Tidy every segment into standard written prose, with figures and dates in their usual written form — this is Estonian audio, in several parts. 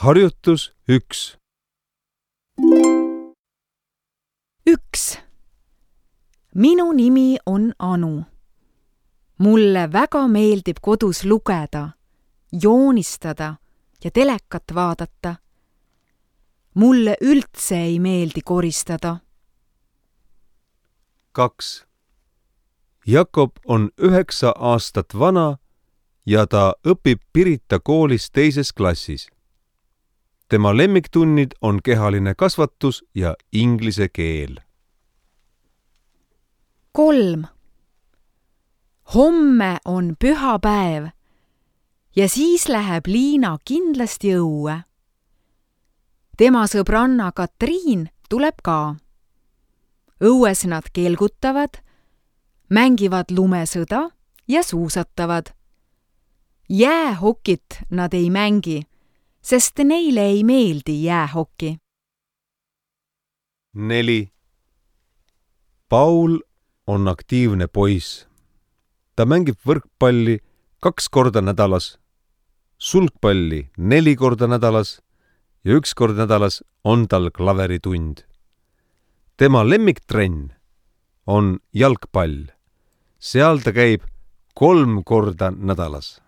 Harjutus 1. 1. Minu nimi on Anu. Mulle väga meeldib kodus lugeda, joonistada ja telekat vaadata. Mulle üldse ei meeldi koristada. 2. Jakob on 9 aastat vana ja ta õpib Pirita koolis 2. klassis. Tema lemmiktunnid on kehaline kasvatus ja inglise keel. 3. Homme on pühapäev ja siis läheb Liina kindlasti õue. Tema sõbranna Katriin tuleb ka. Õues nad kelgutavad, mängivad lumesõda ja suusatavad. Jäähokit nad ei mängi, sest neile ei meeldi jäähoki. 4. Paul on aktiivne poiss. Ta mängib võrkpalli 2 korda nädalas, sulgpalli 4 korda nädalas ja 1 kord nädalas on tal klaveritund. Tema lemmiktrenn on jalgpall. Seal ta käib 3 korda nädalas.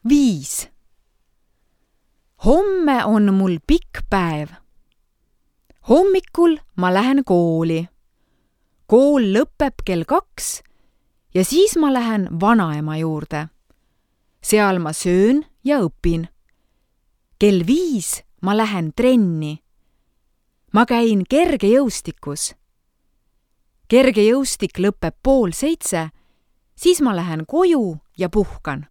5. Homme on mul pikk päev. Hommikul ma lähen kooli. Kool lõpeb kell 2 ja siis ma lähen vanaema juurde. Seal ma söön ja õpin. Kell 5 ma lähen trenni. Ma käin kergejõustikus. Kergejõustik lõpeb 6:30, siis ma lähen koju ja puhkan.